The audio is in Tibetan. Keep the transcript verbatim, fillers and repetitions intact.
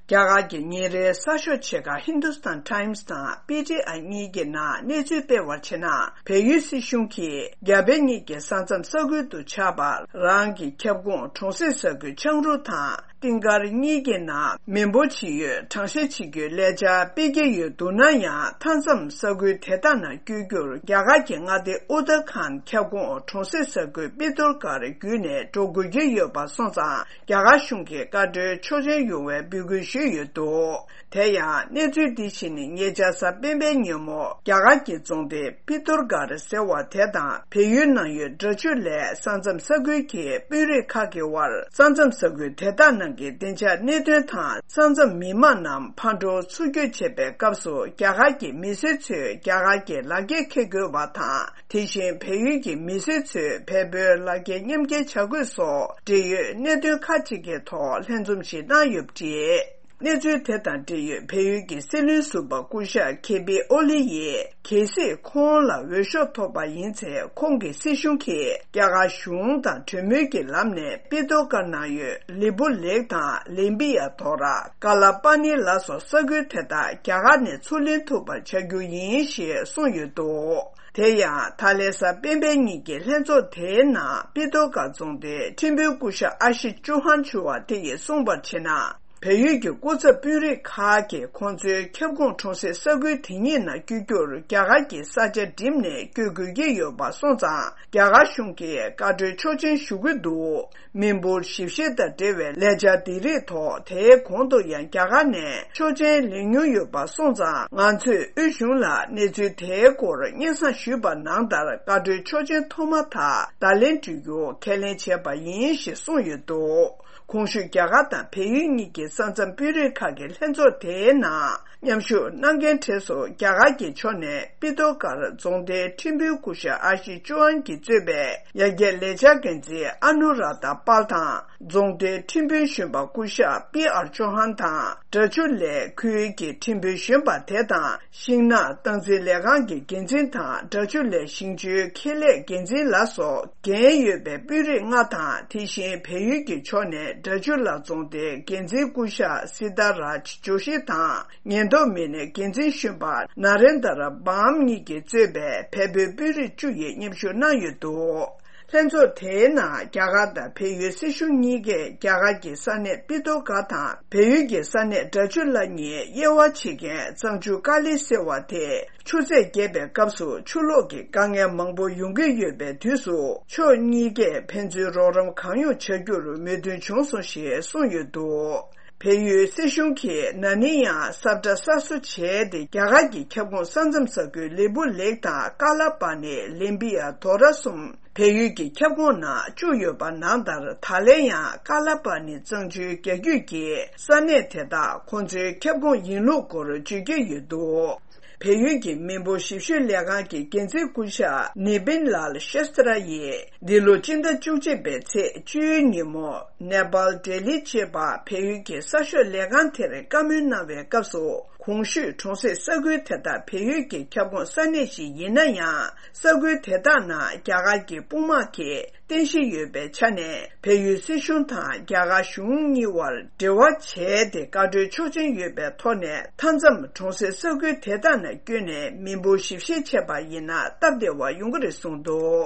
རྒྱ་གར་གྱི་ཉིན་རེའི་གསར་ཤོག་ཆེ་ཁག་Hindustan Times་དང་པི་ཊི་ཨའི་གཉིས་ཀྱི་ནང་གནས་ཚུལ་སྤེལ་བར་བྱས་ན། བལ་ཡུལ་སྲིད་གཞུང་གིས་རྒྱ་བལ་གཉིས་ཀྱི་ས་མཚམས་ས་ཁུལ་དུ་ཆགས་པ་རང་གི་ཁྱབ་ཁོངས་གྲོང་གསེབ་ས་ཁུལ་ཆང་རུ་དང་ཏིང་དཀར་གཉིས་ཀྱི་ནང་མི་འབོར་ཇི་ཡོད་གྲངས་བཤེར་བྱེད་རྒྱུའི་ལས་འཆར་སྤེལ་གྱི་ཡོད་འདུག་ན་ཡང་། མཐའ་མཚམས་ས་ཁུལ་དེ་དག་ནང་བསྐྱོད་རྒྱུར་རྒྱ་གར་གྱི་མངའ་སྡེ་ཨུ་ཏར་ཁཱན་ཁྱབ་ཁོངས་གྲོང་གསེབ་ས་ཁུལ་པི་ཏོར་གྷར་བརྒྱུད་ནས་འགྲོ་དགོས་ཀྱི་ཡོད་པ་སོང་ཙང་། རྒྱ་གར་གཞུང་གིས་བཀའ་འཁྲོལ་ཆོག་མཆན་ཡོང་བའི་འབོད་སྐུལ་ཞུས་ཡོད་འདུག་དེ་ཡང་གནས་ཚུལ་འདི་བྱས་ནས་ཉེ་ཆར་གཟའ་སྤེན་པའི་ཉིན་མོ། རྒྱ་གར་གྱི་རྫོང་སྡེ་པི་ཏོར་གྷར་ཟེར་བ་དེ་དང་བལ་ཡུལ་ནང་ཡོད་འདྲ་ཆུ་ལའི་ས་མཚམས་ས་ཁུལ་གྱི་དཔོན་རིགས་ཁག་གི་དབར་ས་མཚམས་ས་ཁུལ་དེ་དག་ནང་གི་བདེ་འཇགས་གནད་དོན་དང་། ས་མཚམས་མི་མང་རྣམས་ཕར་འགྲོ་ཚུར་སྐྱོད་བྱེད་པའི་སྐབས་སུ། རྒྱ་གར་གྱི་མི་སེར་ཚོས་རྒྱ་གར་གྱི་ལག་འཁྱེར་འཁྱེར་དགོས་པ་དང་། དེ་བཞིན་བལ་ཡུལ་གྱི་མི་སེར་ཚོས་བལ་པོའི་ལག་འཁྱེར་མཉམ་འཁྱེར་བྱ་དགོས་སོགས། འབྲེལ་ཡོད་གནད་དོན་ཁག་ཅིག་གི་ཐོག་ལྷན་འཛོམས་ཤིག་གནང་ཡོད་པ་རེད། གནས་ཚུལ་དེ་དང་འབྲེལ་ཡོད་བལ་ཡུལ་གྱི་སྲིད་བློན་ཟུར་པ་སྐུ་ཞབས་ཁེ་པི་ཨོ་ལི་ཡིས། གལ་སྲིད་ཁོང་ལ་འོས་ཤོག་ཐོབ་པ་ཡིན་ཚེ། ཁོང་གི་སྲིད་གཞུང་གིས་རྒྱ་གར་གཞུང་དང་གྲོས་མོལ་གྱི་ལམ་ནས། པི་ཏོ་ཀར་ནང་ཡོད་ལི་པུ་ལེག་དང་ལེམ་བི་ཡ་དོ་ར། ཀ་ལ་པ་ནི་ལ་སོགས་ས་ཁུལ་དེ་དག་རྒྱ་གར་ནས་ཚུར་ལེན་ཐུབ་པ་བྱ་རྒྱུ་ཡིན་ཞེས་གསུངས་ཡོད་འདུག་དེ་ཡང་། ད་ལན་གཟའ་སྤེན་པའི་ཉིན་གྱི་ལྷན་ཚོགས་དེའི་ནང་། པི་ཏོ་ཀར་རྫོང་སྡེའི་ཁྲིམས་དཔོན་སྐུ་ཞབས་ཨ་ཤི་ཅུ་ཧན་ཞུ་བ་དེ་ཡིས་གསུངས་པར་བྱས་ན། བལ་ཡུལ་གྱི་སྐུ་ཚབ་དཔོན་རིགས་ཁག་གིས་ཁོང་ཚོའི་ཁྱབ་ཁོངས་གྲོང་གསེབ་ས་ཁུལ་དེ་གཉིས་ནང་བསྐྱོད་རྒྱུར་རྒྱ་གར་གྱི་ས་ཆ་འགྲིམས་ནས་བསྐྱོད་དགོས་ཀྱི་ཡོད་པ་སོང་ཙང་། རྒྱ་གར་གཞུང་གིས་བཀའ་འཁྲོལ་ཆོག་མཆན་ཞུ་གི་འདུག་མི་འབོར་ཞིབ་བཤེར་དང་འབྲེལ་བའི་ལས་འཆར་འདི་རིགས་ཐོག་དེའི་གོང་དུ་ཡང་རྒྱ་གར་ནས་ཆོག་མཆན་ལེན་མྱོང་ཡོད་པ་སོང་ཙང་། ང་ཚོས་དབུས་གཞུང་ལ་གནས་ཚུལ་དེའི་སྐོར་སྙན་སེང་ཞུས་པ་ནང་ལྟར། བཀའ་འཁྲོལ་ཆོག་མཆན་ཐོག་མ་དག་བརྡ་ལན་སྤྲོད་རྒྱུ་ཁས་ལེན་བྱས་པ་ཡིན་ཞེས་གསུངས་ཡོད་འདུག་གོང་ཞུས་རྒྱ་གར་དང་བལ་ཡུལ་གཉིས་ཀྱི་ས་མཚམས་དཔོན་རིགས་ཁག་གི་ལྷན་ཚོགས་དེའི་ནང་མཉམ་ཞུགས་གནང་མཁན་གྲས་སུ། རྒྱ་གར་གྱི་ཕྱོགས་ནས་པི་ཏོ་ཀར་རྫོང་སྡེའི་ཁྲིམས་དཔོན་སྐུ་ཞབས་ཨ་ཤི་ཅུ་ཨན་གྱིས་གཙོས་པའི་ཡར་རྒྱས་ལས་འཆར་འགན་འཛིན་ཨ་ནུ་ར་ད་པཱལ་དང་། རྫོང་སྡེའི་ཁྲིམས་དཔོན་གཞོན་པ་སྐུ་ཞབས་པི་ཨར་ཅོ་ཧན་དང་། འདྲ་ཆུ་ལའི་ཁུལ་གྱི་ཁྲིམས་དཔོན་གཞོན་པ་དེ་དང་། ཤིང་ནགས་སྟངས་འཛིན་ལས་ཁང་གི་འགན་འཛིན་དང་། འདྲ་ཆུ་ལའི་ཞིང་ཆུའི་ཁེ་ལས་འགན་འཛིན་ལ་སོགས་འགན་ཡོད་པའི་དཔོན་རིགས་ལྔ་དང་། དེ་བཞིན་བལ་ཡུལ་གྱི་ཕྱོགས་ནས་འདྲ་ཆུ་ལ་རྫོང་སྡེའི་འགན་འཛིན་སྐུ་ཞབས་སི་ཏཱ་རཱཇ་ཇོ་ཤི་དང་། ཉེན་རྟོག་མི་སྣའི་འགན་འཛིན་གཞོན་པ་ན་རེན་དར་བྷམ་གཉིས་ཀྱིས་གཙོས་པའི་བལ་པོའི་དཔོན་རིགས་བཅུ་ཡིས་མཉམ་ཞུགས་གནང་ཡོད་འདུག་ལྷན་ཚོགས་དེའི་ནང་རྒྱ་གར་དང་བལ་ཡུལ་སྲིད་གཞུང་གཉིས་ཀས་རྒྱ་གར་གྱི་ས་གནས་པི་ཏོ་ག་དང་བལ་ཡུལ་གྱི་ས་གནས་འདྲ་ཆུ་ལ་གཉིས་དབྱེ་བ་ཕྱེ་མཁན་གཙང་ཆུ་ཀ་ལི་ཟེར་བ་དེ། ཆུ་ཚད་བརྒྱབ་པའི་སྐབས་སུ་ཆུ་ལོག་གི་དཀའ་ངལ་མང་པོ་ཡོང་གི་ཡོད་པའི་དུས་སུ། ཕྱོགས་གཉིས་ཀས་ཕན་ཚུན་རོགས་རམ་གང་ཡོང་བྱ་རྒྱུར་མོས་མཐུན་བྱུང་སོང་ཞེས་གསུངས་ཡོད་འདུག་བལ་ཡུལ་སྲིད་གཞུང་གིས་ན་ནིང་ཡང་ས་བཀྲ་གསར་བཟོ་བྱས་ཏེ། རྒྱ་གར་གྱི་ཁྱབ་ཁོངས་ས་མཚམས་ས་ཁུལ་ལི་པུ་ལེག་དང་ཀ་ལ་པ་ནི་ལེམ་བི་ཡ་དོ་ར་གསུམ་བལ་ཡུལ་གྱི་ཁྱབ་ཁོངས་ནང་བཅུག་ཡོད་པ་ནང་ལྟར། ད་ལན་ཡང་ཀ་ལ་པ་ནི་གཙང་ཆུའི་རྒྱ་རྒྱུད་ཀྱི་ས་གནས་དེ་དག་ཁོང་ཚོའི་ཁྱབ་ཁོངས་ཡིན་ལུགས་སྐོར་བརྗོད་ཀྱི་ཡོད་འདུག་བལ་ཡུལ་གྱི་མི་འབོར་ཞིབ་བཤེར་ལས་ཁང་གི་འགན་འཛིན་སྐུ་ཞབས་ནི་པིན་ལཱལ་ཤེསྟ་ར་ཡིས། འདི་ལོ་སྤྱི་ཟླ་བཅུ་གཅིག་པའི་ཚེས་བཅུའི་ཉིན་མོ། ནེ་པཱལ་ལྡི་ལི་ཅེས་པ་བལ་ཡུལ་གྱི་གསར་ཤོག་ལས་ཁང་དེར་བཀའ་མོལ་གནང་བའི་སྐབས་སུ། གོང་ཞུས་གྲོང་གསེབ་ས་ཁུལ་དེ་དག་བལ་ཡུལ་གྱི་ཁྱབ་ཁོངས་ས་གནས་ཤིག་ཡིན་ན་ཡང་། ས་ཁུལ་དེ་དག་ནང་རྒྱ་གར་གྱི་དཔུང་དམག་གིས་རྟེན་གཞི་ཡོད་པའི་ཆ་ནས། བལ་ཡུལ་སྲིད་གཞུང་དང་རྒྱ་གར་གཞུང་གཉིས་དབར་འབྲེལ་བ་བྱས་ཏེ། བཀའ་འཁྲོལ་ཆོག་མཆན་ཡོད་པའི་ཐོག་ནས། མཐའ་མཚམས་གྲོང་གསེབ་ས་ཁུལ་དེ་དག་ནང་བསྐྱོད་ནས་མི་འབོར་ཞིབ་བཤེར་བྱས་པ་ཡིན་ན། སྟབས་བདེ་བ་ཡོང་གི་རེད་གསུངས་འདུག